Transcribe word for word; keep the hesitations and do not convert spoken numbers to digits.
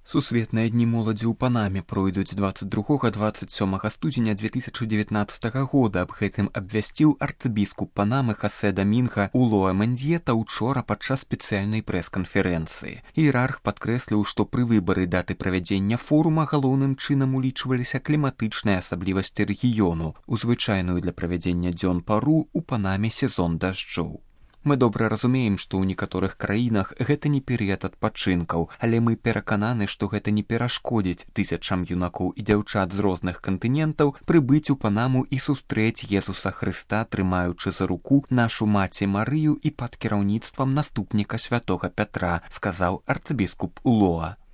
Сусветныя дні моладзі ў Панаме пройдуць дваццаць другога - дваццаць сёмага студзеня две тысячы дзевятнаццатага года. Аб гэтым абвясціў арцыбіскуп Панамы Хосе Дамінга Улоа Мендьета учора падчас спецыяльнай прэс-канферэнцыі. Іерарх падкрэсліў, што пры выбары даты правядзення форума галоўным чынам улічваліся кліматычныя асаблівасці рэгіёну, у звычайную для правядзення дзён пару у Панаме сезон дажджоў. Мы добра разумеем, што ў некаторых краінах гэта не перыяд адпачынкаў, але мы перакананы, што гэта не перашкодзіць тысячам юнакоў і дзяўчат з розных кантынентаў прыбыць у Панаму і сустрэць Езуса Хрыста, трымаючы за руку нашу маці Марыю і пад кіраўніцтвам наступніка святога Пятра, сказаў арцыбіскуп Улоа.